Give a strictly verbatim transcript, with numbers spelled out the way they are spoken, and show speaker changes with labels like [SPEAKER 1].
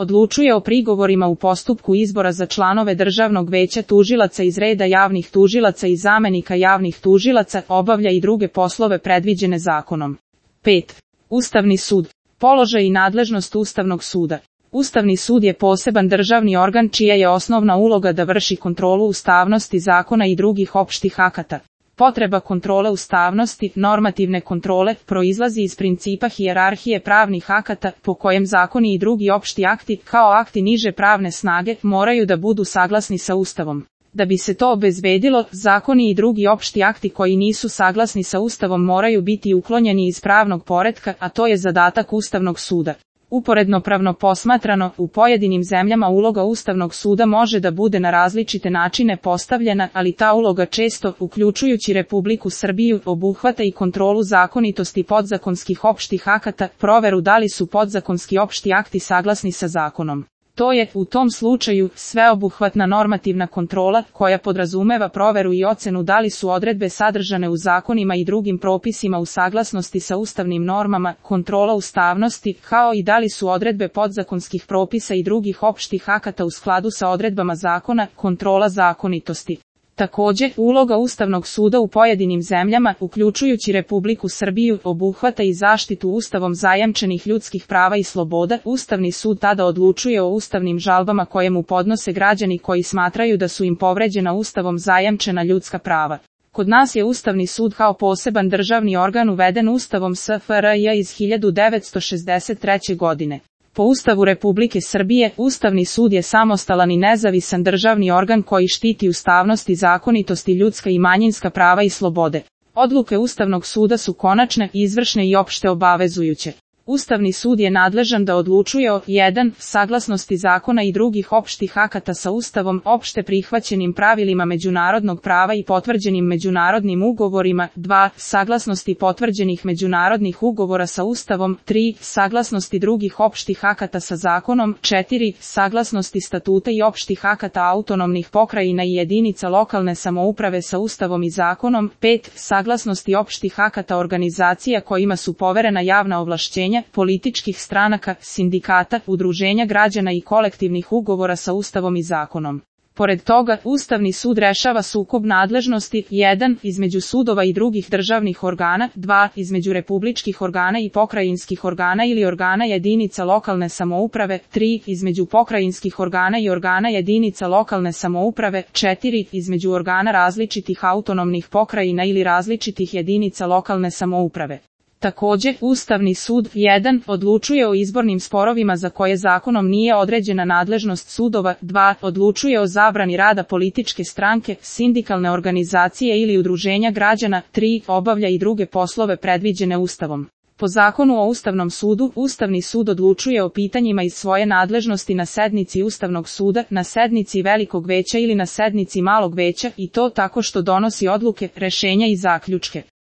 [SPEAKER 1] Odlučuje o prigovorima u postupku izbora za članove Državnog veća tužilaca iz reda javnih tužilaca i zamenika javnih tužilaca, obavlja i druge poslove predviđene zakonom. pet. Ustavni sud. Položaj i nadležnost Ustavnog suda. Ustavni sud je poseban državni organ čija je osnovna uloga da vrši kontrolu ustavnosti zakona i drugih opštih akata. Potreba kontrole ustavnosti, normativne kontrole, proizlazi iz principa hijerarhije pravnih akata, po kojem zakoni i drugi opšti akti, kao akti niže pravne snage, moraju da budu saglasni sa Ustavom. Da bi se to obezbedilo, zakoni i drugi opšti akti koji nisu saglasni sa Ustavom moraju biti uklonjeni iz pravnog poretka, a to je zadatak Ustavnog suda. Uporedno pravno posmatrano, u pojedinim zemljama uloga Ustavnog suda može da bude na različite načine postavljena, ali ta uloga često, uključujući Republiku Srbiju, obuhvata i kontrolu zakonitosti podzakonskih opštih akata, proveru da li su podzakonski opšti akti saglasni sa zakonom. To je, u tom slučaju, sveobuhvatna normativna kontrola, koja podrazumeva proveru i ocenu da li su odredbe sadržane u zakonima i drugim propisima u saglasnosti sa ustavnim normama, kontrola ustavnosti, kao i da li su odredbe podzakonskih propisa i drugih opštih akata u skladu sa odredbama zakona, kontrola zakonitosti. Takođe, uloga Ustavnog suda u pojedinim zemljama, uključujući Republiku Srbiju, obuhvata i zaštitu Ustavom zajamčenih ljudskih prava i sloboda. Ustavni sud tada odlučuje o ustavnim žalbama koje mu podnose građani koji smatraju da su im povređena Ustavom zajamčena ljudska prava. Kod nas je Ustavni sud kao poseban državni organ uveden Ustavom S F R J iz hiljadu devetsto šezdeset treće. godine. Po Ustavu Republike Srbije, Ustavni sud je samostalan i nezavisan državni organ koji štiti ustavnost i zakonitost i ljudska i manjinska prava i slobode. Odluke Ustavnog suda su konačne, izvršne i opšte obavezujuće. Ustavni sud je nadležan da odlučuje o jedan saglasnosti zakona i drugih opštih akata sa Ustavom, opšte prihvaćenim pravilima međunarodnog prava i potvrđenim međunarodnim ugovorima, dva saglasnosti potvrđenih međunarodnih ugovora sa Ustavom, tri saglasnosti drugih opštih akata sa zakonom, četiri saglasnosti statuta i opštih akata autonomnih pokrajina i jedinica lokalne samouprave sa Ustavom i zakonom, pet saglasnosti opštih akata organizacija kojima su poverena javna ovlašćenja, političkih stranaka, sindikata, udruženja građana i kolektivnih ugovora sa Ustavom i zakonom. Pored toga, Ustavni sud rešava sukob nadležnosti, jedan između sudova i drugih državnih organa, dva između republičkih organa i pokrajinskih organa ili organa jedinica lokalne samouprave, tri između pokrajinskih organa i organa jedinica lokalne samouprave, četiri između organa različitih autonomnih pokrajina ili različitih jedinica lokalne samouprave. Takođe, Ustavni sud jedan odlučuje o izbornim sporovima za koje zakonom nije određena nadležnost sudova, dva odlučuje o zabrani rada političke stranke, sindikalne organizacije ili udruženja građana, tri obavlja i druge poslove predviđene Ustavom. Po Zakonu o Ustavnom sudu, Ustavni sud odlučuje o pitanjima iz svoje nadležnosti na sednici Ustavnog suda, na sednici Velikog veća ili na sednici Malog veća, i to tako što donosi odluke, rešenja i zaključke.